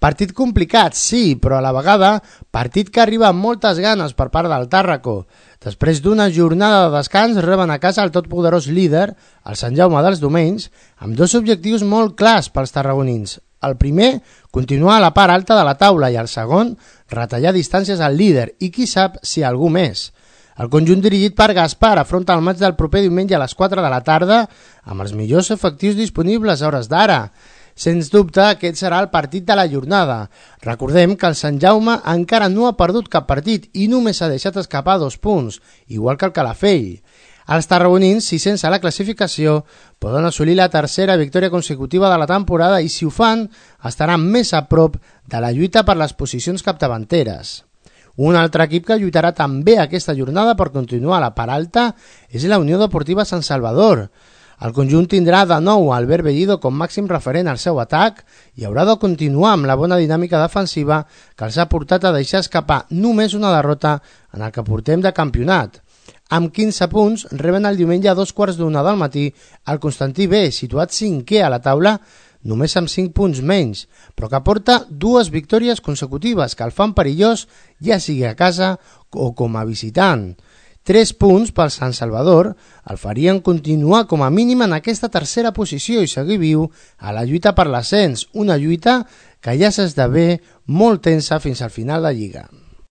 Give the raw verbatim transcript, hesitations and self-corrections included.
Partit complicat, sí, però a la vegada partit que arriba amb moltes ganes per part del Tàrraco. Després d'una jornada de descans reben a casa el totpoderós líder, el Sant Jaume dels Domenys, amb dos objectius molt clars pels tarragonins. El primer, continuar a la part alta de la taula i el segon, retallar distàncies al líder i qui sap si algú més. El conjunt dirigit per Gaspar afronta el maig del proper diumenge a les quatre de la tarda amb els millors efectius disponibles a hores d'ara. Sens dubte, aquest serà el partit de la jornada. Recordem que el Sant Jaume encara no ha perdut cap partit i només ha deixat escapar dos punts, igual que el Calafell. Els tarragonins, sisens a la classificació, poden assolir la tercera victòria consecutiva de la temporada i, si ho fan, estaran més a prop de la lluita per les posicions capdavanteres. Un altre equip que lluitarà també aquesta jornada per continuar a la part alta és la Unió Deportiva Sant Salvador. El conjunt tindrà de nou Albert Bellido com màxim referent al seu atac i haurà de continuar amb la bona dinàmica defensiva que els ha portat a deixar escapar només una derrota en el que portem de campionat. Amb quinze punts reben el diumenge a dos quarts d'una del matí el Constantí B, situat cinquè a la taula, només amb cinc punts menys, però que porta dues victòries consecutives que el fan perillós, ja sigui a casa o com a visitant. Tres punts pel Sant Salvador el farien continuar com a mínim en aquesta tercera posició i seguir viu a la lluita per l'ascens, una lluita que ja s'esdevé molt tensa fins al final de Lliga.